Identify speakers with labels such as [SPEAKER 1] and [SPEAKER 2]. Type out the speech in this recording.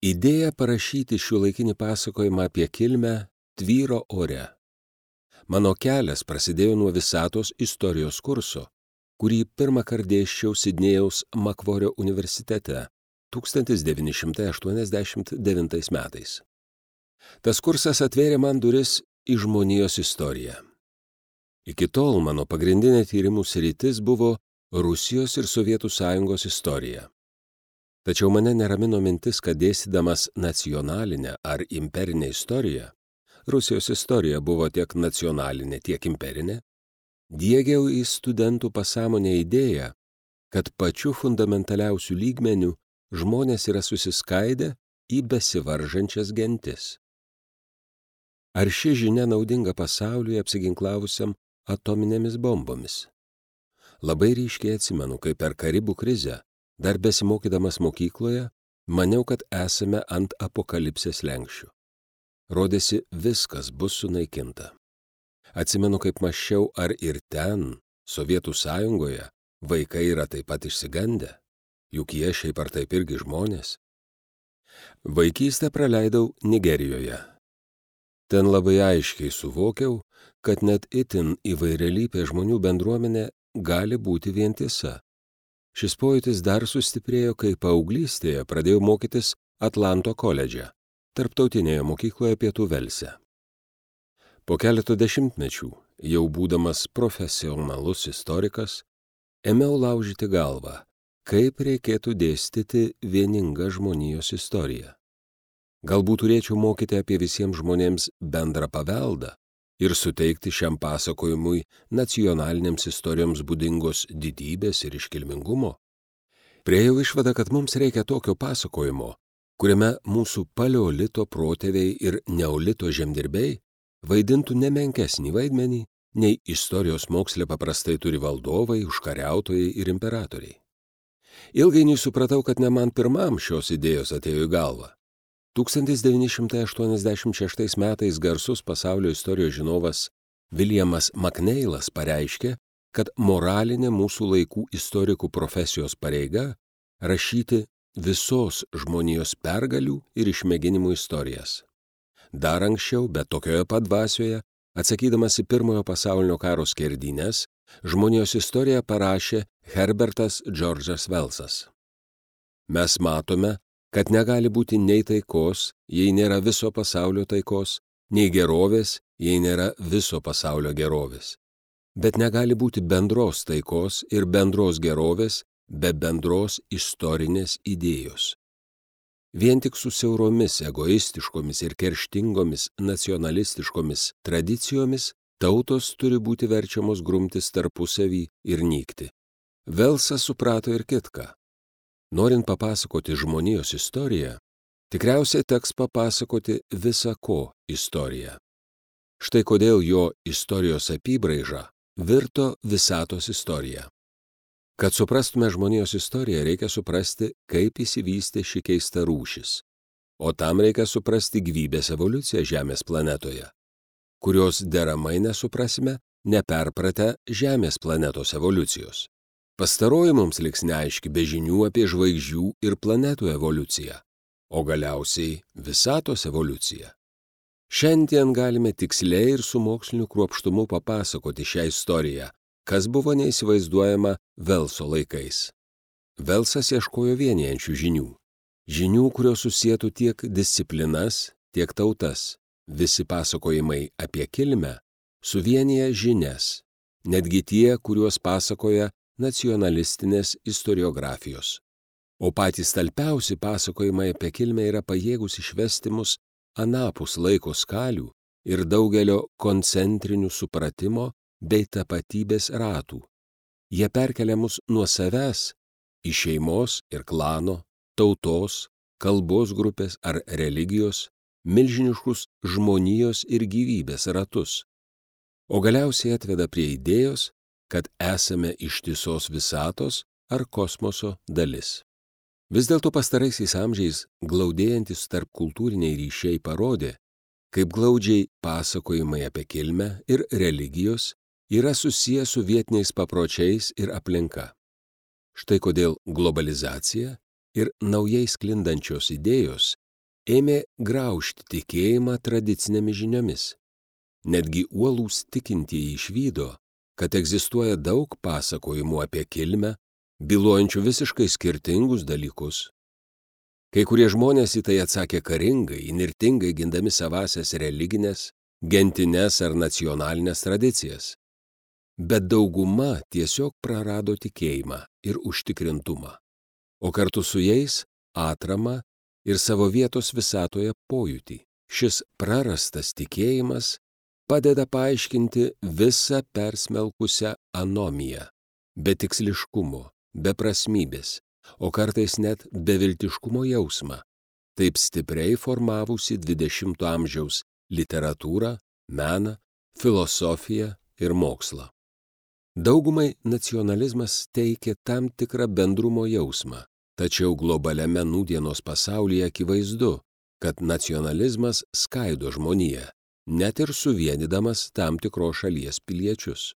[SPEAKER 1] Idėja parašyti šiuolaikinį pasakojimą apie kilmę tvyro ore. Mano kelias prasidėjo nuo visatos istorijos kurso, kurį pirmąkart dėsčiau Sidnėjaus Makvorio universitete 1989 metais. Tas kursas atvėrė man duris į žmonijos istoriją. Iki tol mano pagrindinė tyrimų sritis buvo Rusijos ir Sovietų Sąjungos istorija. Tačiau mane neramino mintis, kad dėstydamas nacionalinę ar imperinę istoriją, Rusijos istorija buvo tiek nacionalinė, tiek imperinė, diegiau į studentų pasąmonę idėją, kad pačiu fundamentaliausiu lygmeniu žmonės yra susiskaidę į besivaržančias gentis. Ar ši žinia naudinga pasauliui apsiginklavusiam atominėmis bombomis? Labai ryškiai atsimenu, kai per Karibų krizę, dar besimokydamas mokykloje, maniau, kad esame ant apokalipsės slenksčių. Rodėsi, viskas bus sunaikinta. Atsimenu, kaip mąsčiau, ar ir ten, Sovietų Sąjungoje, vaikai yra taip pat išsigandę, juk jie šiaip ar taip irgi žmonės. Vaikystę praleidau Nigerijoje. Ten labai aiškiai suvokiau, kad net itin įvairialypė žmonių bendruomenė gali būti vientisa. Šis pojūtis dar sustiprėjo, kai paauglystėje pradėjau mokytis Atlanto koledže, tarptautinėje mokykloje Pietų Velse. Po keleto dešimtmečių, jau būdamas profesionalus istorikas, ėmiau laužyti galvą, kaip reikėtų dėstyti vieningą žmonijos istoriją. Galbūt turėčiau mokyti apie visiems žmonėms bendrą paveldą ir suteikti šiam pasakojimui nacionalinėms istorijoms būdingos didybės ir iškilmingumo. Priėjau išvadą, kad mums reikia tokio pasakojimo, kuriame mūsų paleolito protėviai ir neolito žemdirbiai vaidintų nemenkesnį vaidmenį, nei istorijos moksle paprastai turi valdovai, užkariautojai ir imperatoriai. Ilgainiui supratau, kad ne man pirmam šios idėjos atėjo į galvą. 1986 metais garsus pasaulio istorijos žinovas Williamas McNeilas pareiškė, kad moralinė mūsų laikų istorikų profesijos pareiga rašyti visos žmonijos pergalių ir išmėginimų istorijas. Dar anksčiau, bet tokioje pat dvasioje, atsakydamas į Pirmojo pasaulinio karo skerdynes, žmonijos istoriją parašė Herbertas Džordžas Velsas. Mes matome, kad negali būti nei taikos, jei nėra viso pasaulio taikos, nei gerovės, jei nėra viso pasaulio gerovės. Bet negali būti bendros taikos ir bendros gerovės be bendros istorinės idėjos. Vien tik su siauromis, egoistiškomis ir kerštingomis nacionalistiškomis tradicijomis tautos turi būti verčiamos grumtis tarpusavį ir nykti. Velsas suprato ir kitką. Norint papasakoti žmonijos istoriją, tikriausiai teks papasakoti visa ko istoriją. Štai kodėl jo istorijos apybraiža virto visatos istorija. Kad suprastume žmonijos istoriją, reikia suprasti, kaip įsivystė ši keista rūšis. O tam reikia suprasti gyvybės evoliuciją Žemės planetoje, kurios deramai nesuprasime, neperpratę Žemės planetos evoliucijos. Pastaroji mums liks neaiški be žinių apie žvaigždžių ir planetų evoliuciją, o galiausiai visatos evoliuciją. Šiandien galime tiksliai ir su moksliniu kruopštumu papasakoti šią istoriją, kas buvo neįsivaizduojama Velso laikais. Velsas ieškojo vienijančių žinių. Žinių, kurios susietų tiek disciplinas, tiek tautas. Visi pasakojimai apie kilmę suvienyje žinias, netgi tie, kuriuos pasakoja nacionalistinės istoriografijos. O patys talpiausi pasakojimai apie kilmę yra pajėgus išvesti mus anapus laiko skalių ir daugelio koncentrinių supratimo bei tapatybės ratų. Jie perkelia mus nuo savęs į šeimos ir klano, tautos, kalbos grupės ar religijos, milžiniškus žmonijos ir gyvybės ratus. O galiausiai atveda prie idėjos, kad esame ištisos visatos ar kosmoso dalis. Vis dėlto pastaraisiais amžiais glaudėjantis tarpkultūriniai ryšiai parodė, kaip glaudžiai pasakojimai apie kilmę ir religijos yra susiję su vietiniais papročiais ir aplinka. Štai kodėl globalizacija ir naujai sklindančios idėjos ėmė graužti tikėjimą tradicinėmis žiniomis. Netgi uolūs tikintieji išvydo, kad egzistuoja daug pasakojimų apie kilmę, bylojančių visiškai skirtingus dalykus. Kai kurie žmonės į tai atsakė karingai, įnirtingai gindami savasias religinės, gentines ar nacionalinės tradicijas. Bet dauguma tiesiog prarado tikėjimą ir užtikrintumą, o kartu su jais atramą ir savo vietos visatoje pojūtį. Šis prarastas tikėjimas padeda paaiškinti visą persmelkusią anomiją, betiksliškumo, beprasmybės, o kartais net beviltiškumo jausmą, taip stipriai formavusi 20 amžiaus literatūrą, meną, filosofiją ir mokslą. Daugumai nacionalizmas teikia tam tikrą bendrumo jausmą, tačiau globaliame nūdienos pasaulyje akivaizdu, kad nacionalizmas skaido žmoniją, net ir suvienydamas tam tikros šalies piliečius.